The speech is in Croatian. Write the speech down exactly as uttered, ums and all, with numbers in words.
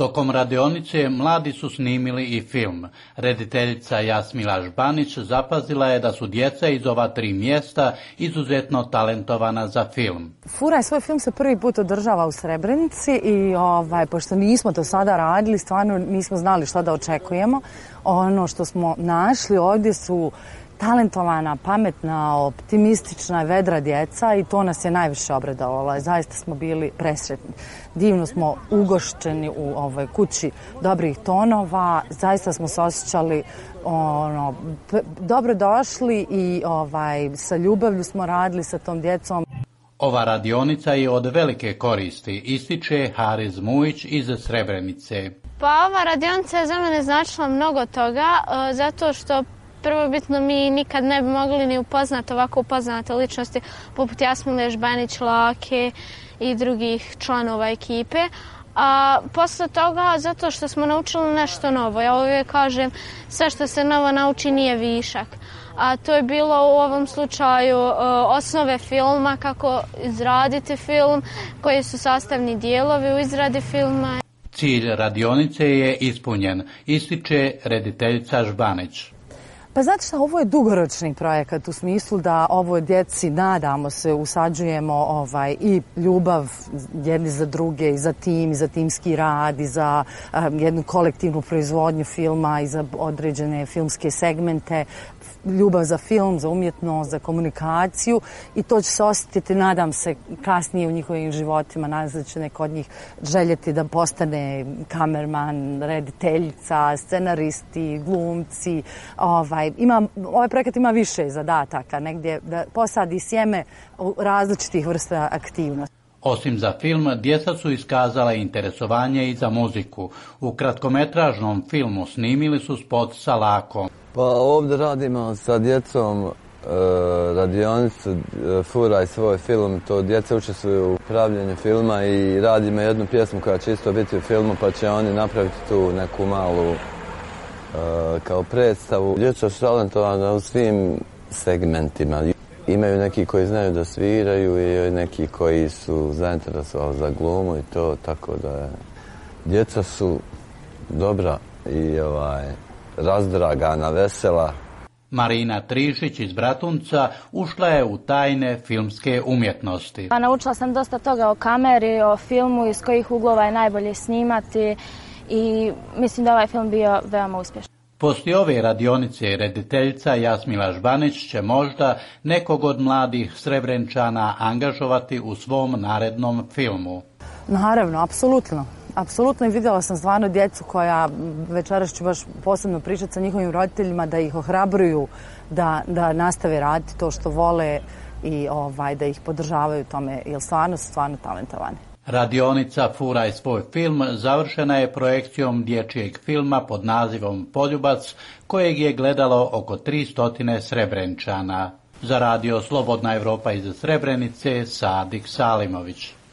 Tokom radionice mladi su snimili i film. Rediteljica Jasmila Žbanić zapazila je da su djeca iz ova tri mjesta izuzetno talentovana za film. Furaj svoj film se prvi put održava u Srebrenici i ovaj, pošto nismo to sada radili, stvarno nismo znali što da očekujemo. Ono što smo našli ovdje su talentovana, pametna, optimistična, vedra djeca i to nas je najviše obradovalo. Zaista smo bili presretni. Divno smo ugošćeni u ovoj kući dobrih tonova. Zaista smo se osjećali ono, dobro došli i ovaj, sa ljubavlju smo radili sa tom djecom. Ova radionica je od velike koristi, ističe Hariz Mujić iz Srebrenice. Pa ova radionica je za mene značila mnogo toga, zato što prvobitno mi nikad ne bi mogli ni upoznati ovako upoznate ličnosti poput Jasmile Žbanić, Lake i drugih članova ekipe. A posle toga, zato što smo naučili nešto novo. Ja uvijek kažem, sve što se novo nauči nije višak. A to je bilo u ovom slučaju osnove filma, kako izraditi film, koji su sastavni dijelovi u izradi filma. Cilj radionice je ispunjen, ističe rediteljica Žbanić. Pa znate šta, ovo je dugoročni projekat u smislu da ovoj djeci, nadamo se, usađujemo ovaj, i ljubav jedni za druge, i za tim, i za timski rad, i za um, jednu kolektivnu proizvodnju filma, i za određene filmske segmente, ljubav za film, za umjetnost, za komunikaciju i to će se osjetiti, nadam se, kasnije u njihovim životima. Nadam se da će neko od njih željeti da postane kamerman, rediteljica, scenaristi, glumci. Ovaj, ima, ovaj projekat ima više zadataka, negdje da posadi sjeme različitih vrsta aktivnosti. Osim za film, djeca su iskazala interesovanje i za muziku. U kratkometražnom filmu snimili su spot sa Lakom. Pa ovdje radimo sa djecom e, radionicu e, Furaj svoj film. To djeca učestvuju u pravljenju filma i radimo jednu pjesmu koja će isto biti u filmu, pa će oni napraviti tu neku malu e, kao predstavu. Djeca su talentovana u svim segmentima. Imaju neki koji znaju da sviraju i neki koji su zainteresovali za glumu i to, tako da djeca su dobra i ovaj, razdragana, vesela. Marina Trišić iz Bratunca ušla je u tajne filmske umjetnosti. Pa naučila sam dosta toga o kameri, o filmu, iz kojih uglova je najbolje snimati i mislim da ovaj film bio veoma uspješan. Poslije ove radionice rediteljica Jasmila Žbanić će možda nekog od mladih Srebrenčana angažovati u svom narednom filmu. Naravno, apsolutno. Apsolutno i vidjela sam stvarno djecu koja, večeras ću baš posebno pričati sa njihovim roditeljima, da ih ohrabruju da, da nastave raditi to što vole i ovaj, da ih podržavaju tome, jer stvarno su stvarno talentovani. Radionica Furaj svoj film završena je projekcijom dječjeg filma pod nazivom Poljubac, kojeg je gledalo oko tristo Srebrenčana. Za radio Slobodna Evropa iz Srebrenice, Sadik Salimović.